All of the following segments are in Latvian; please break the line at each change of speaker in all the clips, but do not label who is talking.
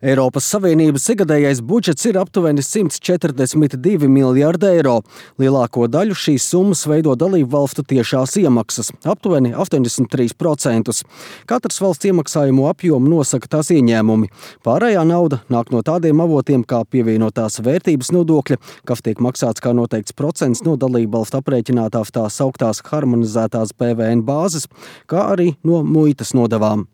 Eiropas Savienības ikgadējais budžets ir aptuveni 142 miljārdi eiro. Lielāko daļu šīs summas veido dalību valstu tiešās iemaksas – aptuveni 83%. Katras valsts iemaksājumu apjomu nosaka tās ieņēmumi. Pārējā nauda nāk no tādiem avotiem kā pievienotās vērtības nodokļa, kas tiek maksāts kā noteikts procents no dalību valstu aprēķinātā tā sauktās harmonizētās PVN bāzes, kā arī no muitas nodevām.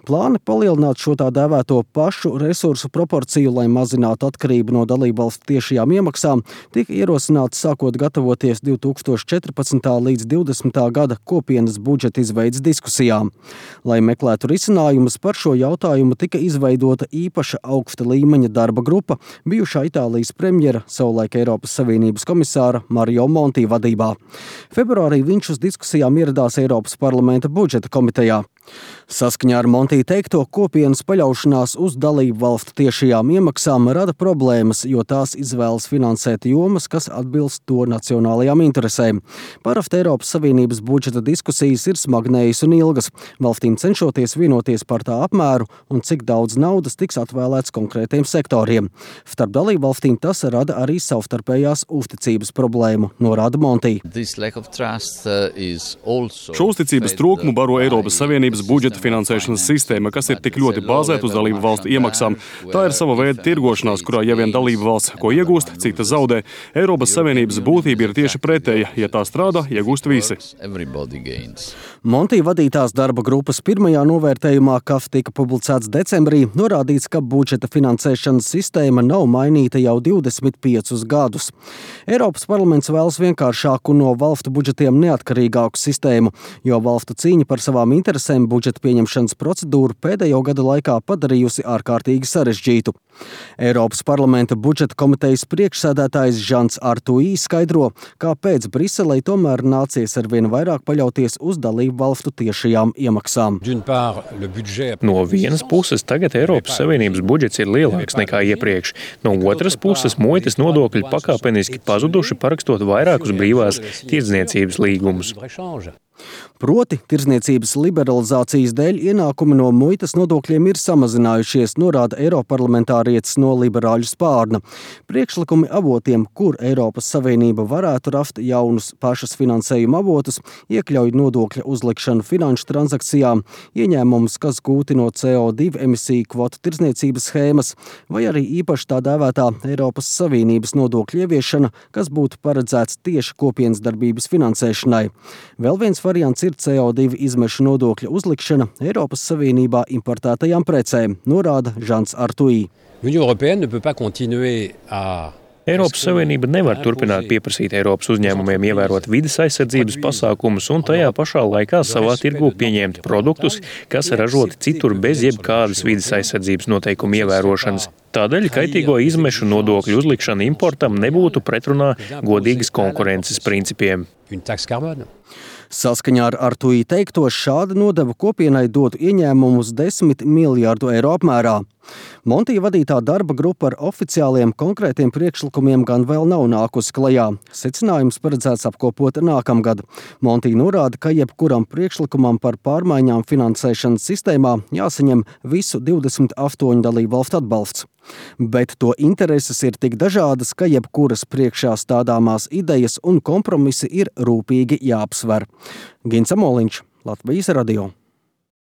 Plāni palielināt šo tā dēvēto pašu resursu proporciju, lai mazinātu atkarību no dalībvalstu tiešajām iemaksām, tika ierosināti sākot gatavoties 2014. līdz 2020. gada kopienas budžeta izveides diskusijām. Lai meklētu risinājumus par šo jautājumu, tika izveidota īpaša augsta līmeņa darba grupa bijušā Itālijas premjera, savulaik Eiropas Savienības komisāra Mario Monti vadībā. Februārī viņš uz diskusijām ieradās Eiropas parlamenta budžeta komitejā. Saskaņā ar Monti teikto, kopienas paļaušanās uz dalību valstu tiešajām iemaksām rada problēmas, jo tās izvēlas finansēt jomas, kas atbilst to nacionālajām interesēm. Parasti Eiropas Savienības budžeta diskusijas ir smagnējas un ilgas, valstīm cenšoties vienoties par tā apmēru un cik daudz naudas tiks atvēlēts konkrētiem sektoriem. Starp dalību valstīm tas rada arī savstarpējās uzticības problēmu, norāda Monti.
Šo uzticības trūkumu baro Eiropas Savienības budžeta finansēšanas sistēma, kas ir tik ļoti bāzēta uz dalību valstu iemaksām. Tā ir sava veida tirgošanās, kurā ja vien dalību valsts ko iegūst, cita zaudē. Eiropas Savienības būtība ir tieši pretēja. Ja tā strādā, iegūst visi.
Monti vadītās darba grupas pirmajā novērtējumā, kas tika publicēts decembrī, norādīts, ka budžeta finansēšanas sistēma nav mainīta jau 25 gadus. Eiropas parlaments vēlas vienkāršāku no valstu budžetiem neatkarīgāku sistēmu, jo valstu cīņa par savām interesēm budžeta pieņemšanas procedūru pēdējo gadu laikā padarījusi ārkārtīgi sarežģītu. Eiropas parlamenta budžeta komitejas priekšsēdētājs Žans Artuī skaidro, kāpēc Briselei tomēr nācies arvien vairāk paļauties uz dalību valstu tiešajām iemaksām.
No vienas puses tagad Eiropas Savienības budžets ir lielāks nekā iepriekš. No otras puses muitas nodokļi pakāpeniski pazuduši, parakstot vairākus brīvās tirdzniecības līgumus.
Proti, tirdzniecības liberalizācijas dēļ ienākumi no muitas nodokļiem ir samazinājušies, norāda eiroparlamentārietis no liberāļu spārna. Priekšlikumi avotiem, kur Eiropas Savienība varētu rast jaunus pašas finansējuma avotus, iekļauj nodokļa uzlikšanu finanšu transakcijām, ieņēmumus, kas gūti no CO2 emisiju kvotu tirdzniecības schēmas, vai arī īpaši tā dēvētā Eiropas Savienības nodokļu ieviešana, kas būtu paredzēts tieši kopienas darbības finansēšanai. Vēl viens variants ir CO2 izmešu nodokļa uzlikšana Eiropas Savienībā importētajām precēm, norāda Žans Artuī.
Eiropas Savienība nevar turpināt pieprasīt Eiropas uzņēmumiem ievērot vides aizsardzības pasākumus un tajā pašā laikā savā tirgū pieņemt produktus, kas ražoti citur bez jebkādas vides aizsardzības noteikumu ievērošanas. Tādēļ kaitīgo izmešu nodokļu uzlikšana importam nebūtu pretrunā godīgas konkurences principiem.
Saskaņā ar Artuī teikto, šāda nodeva kopienai dotu ieņēmumus 10 miljārdu eiro apmērā. Monti vadītā darba grupa ar oficiāliem konkrētiem priekšlikumiem gan vēl nav nākusi klajā. Secinājums paredzēts apkopot nākamgad. Monti norāda, ka jebkuram priekšlikumam par pārmaiņām finansēšanas sistēmā jāsaņem visu 28 dalībvalstu atbalsts. Bet to intereses ir tik dažādas, ka jebkuras priekšā stādāmās idejas un kompromisi ir rūpīgi jāapsver. Gins Amoliņš, Latvijas radio.